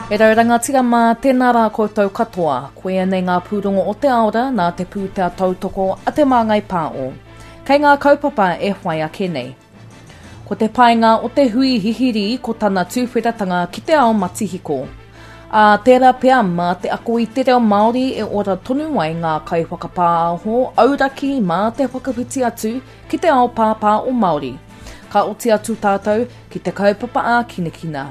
E rau rangatira mā, tēnā rā koutou katoa. Koia nei ngā pūrongo o te aora nā te pūtea tautoko a Te Māngai Pāo. Kei ngā kaupapa e whai ake nei. Ko te painga o te hui hihiri ko tana tūwheratanga ki te ao matihiko. Ā, tērā pea mā te ako i te reo Māori e ora tonu ai ngā kaiwhakapāho auraki mā te whakawhiti atu ki te ao pāpā o Māori. Ka oti atu tātou ki te kaupapa ākinakina.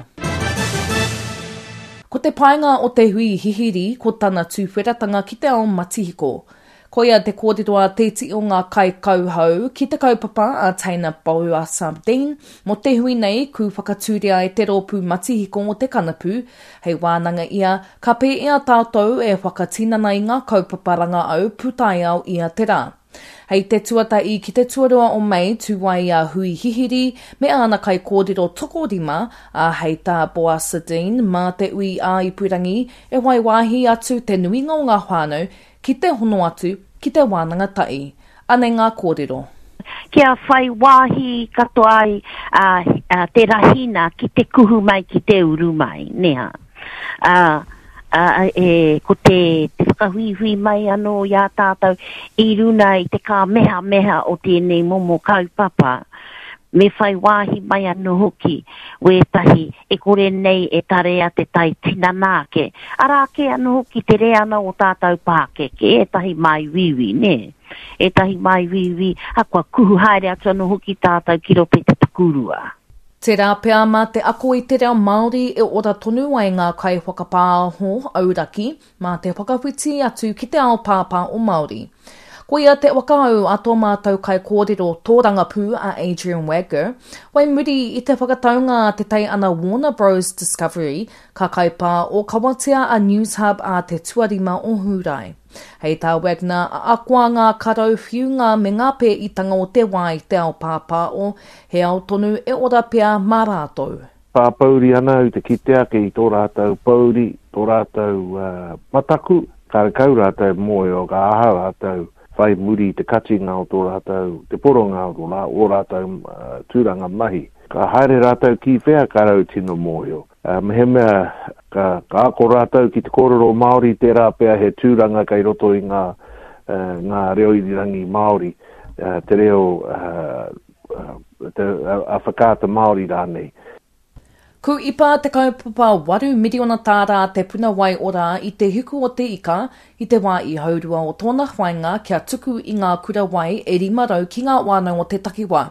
Ko te painga o te hui hihiri ko tana tūwheratanga ki te ao matihiko. Koia te kōrero a tētihi o ngā kaikauhau ki te kaupapa a Teina Boasa-Dean mō te hui nei ku whakatūria e te rōpū matihiko o te Kanapu hei wānanga ia ka pēea tātou e whakatinana i ngā kaupapa rangaau pūtaiao ia te rā. Hei te tuatahi ki te tuarua o Mei tū ai a Hui Hihiri me āna kaikōrero tokorima, ā, hei tā Boasa-Dean, mā te ui ā-ipurangi e whai wāhi atu te nuinga o ngā whānau ki te hono atu ki te wānanga tahi. Anei ngā kōrero. Kia whai wāhi katoa ai te rahina ki te kuhu mai, ki te uru mai, nē hā? Ā, ā, e, ko te, te whakahuihui mai anō i a tātou i runa i te kāmehameha o tēnei momo kaupapa, me whai wāhi mai anō hoki wētahi e kore nei e tarea te tae tinana ake. Arā kē anō hoki te reanga o tātou pākeke, ētahi māuiui, nē? Ētahi māuiui, ā, kua kuhu haere atu anō hoki tātou ki roto i te takurua. Tērā pea mā te ako i te reo Māori e ora tonu ai ngā kaiwhakapāho auraki mā te whakawhiti atu ki te ao pāpā o Māori. Koia te whakaū a tō mātou kaikōrero tōrangapū a Adrian Wagger, whai muri i te whakataunga a te teiana Warner Bros Discovery ka kaipā ōkawatia a Newshub ā te tuarima o Hūrae. Hei tā Wagner, ahakoa ngā karau whiunga me ngā pēitanga o te wā i te ao pāpāo, he ao tonu e ora pea mā rātou. Pāpouri ana au te kite ake i tō rātou pōuri, tō rātou mataku, karekau rātou mōhio ka aha rātou whai muri i te katinga o tō rātou, te poronga o ō rātou tūranga mahi. Ka haere rātou ki whea ka rau tino mōhio. Mehemea ka ako rātou ki te kōrero Māori, tērā pea he tūranga kei roto i ngā, ngā reo irirangi Māori, te reo te, a Whakaata Māori rānei. Ku ipa te kaupapa waru miriona tāra te puna wai ora i te hiku o te ika i te wā i haurua o tōna whainga kia tuku i ngā kura wai e 500 ki ngā wānau o te takiwā.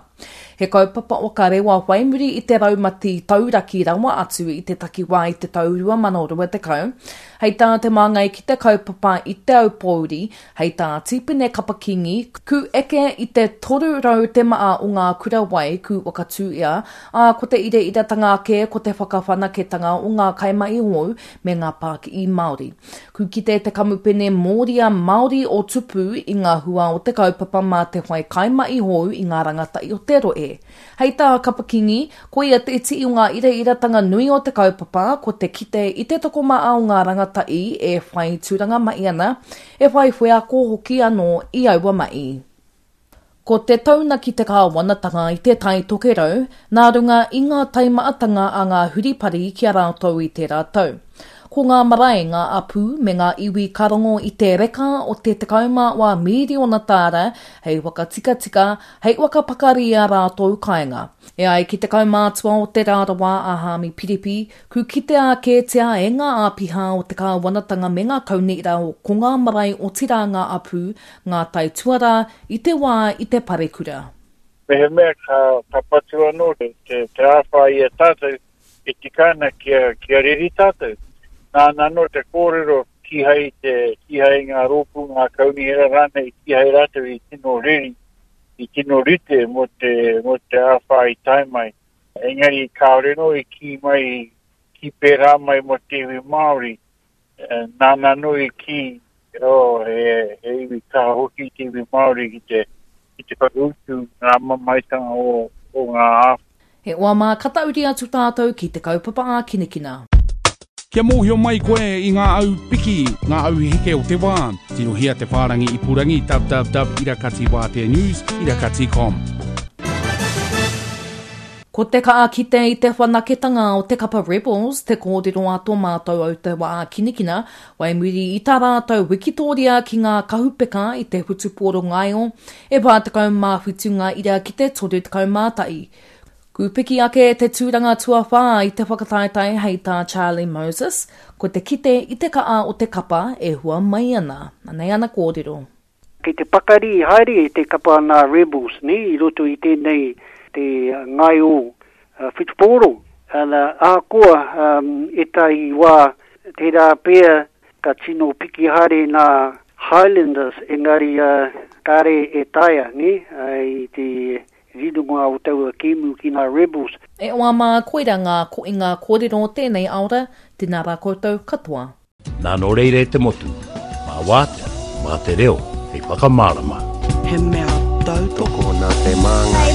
He kaupapa waka rewa whai muri i te raumati tauraki rawa atu i te takiwā i te tau 2020. Hei tā te māngai ki te kaupapa i Te Aupōuri, hei tā Tīpene Kapa-Kingi, ku eke i te 300 te maa o ngā kura wai ku whakatūia, ā, ko te ireiratanga ake ko te whakawhanaketanga o ngā kaimahi hou me ngā pākihi Māori. Ku kite te kamupene Mōria Māori o Tupu i ngā hua o te kaupapa mā te whai kaimahi hou i ngā rangatahi o te rohe. Hei tā Kapa-Kingi, koia te iti o ngā ireiratanga nui o te kaupapa ko te kite i te tokomaha o ngā rangatahi e whai tūranga mahi ana, e whai wheako hoki anō i aua mahi. Ko te taunaki te kāwanatanga i Te Tai Tokerau nā runga i ngā taimaatanga a ngā huripari ki a rātou i tērā tau. Ko ngā marae, ngā apū me ngā iwi ka rongo i te reka o te 11 mīriona tāra hei whakatikatika, hei whakapakari i ā rātou kāinga. E ai ki te kaumātua o Te Rarawa a Haami Piripi, Ku kitea kētia e ngā āpiha o te kāwanatanga me ngā kaunihera o ko ngā marae otirā ngā apū, ngā taituarā i te wā i te parekura. Mehemea ka, ka patu anō te, te, te āwhā i a tātou, e tika ana kia, kia reri tātou. Nāna anō te kōrero kīhai te, kīhai ngā rōpū, ngā kaunihera rānei, kīhai rātou i tino reri, i tino rite mō te, mō te āwhā i tae mai. Engari kāore anō i kī mai, kī pērā mai mō te iwi Māori. Nāna anō i kī, oh, he, he iwi kaha hoki te iwi Māori ki te, ki te whakautu ngā mamaetanga o, o ngā āwhā. He oa mā ka tauri atu tātou ki te kaupapa ākinakina. Kia mōhio mai koe i ngā au piki, ngā au heke o te wā, tirohia te whārangi ipurangi www irakatiwāteanews irakati com. Ko te kaha kite i te whanaketanga o te kapa Rebels te kōrero a tō mātou au te wā kinikina, wai muri i tā rātou wikitōria ki ngā kahupeka i te whutupōro ngaio, e 47 ngā ira ki te 31. Kūpiki ake te tūranga tuawhā i te whakataetae hei tā Charlie Moses, ko te kite i te kaha o te kapa e hua mai ana. Anei ana kōrero. Kei te pakari haere te kapa nā Rebels nē i roto i tēnei te ngaio whutupōro. Ana, ahakoa ētahi wā tērā pea ka tino piki haere nā Highlanders engari kāre e taea nē i te rironga o taua kēmu ki nā Rebels. E hoa mā, koira ngā koinga kōrero o tēnei aora, tēnā rā koutou katoa. Nā nō reira e te motu, mā wātea, mā te reo hei whakamārama. He mea tautoko. Tokona te māngai.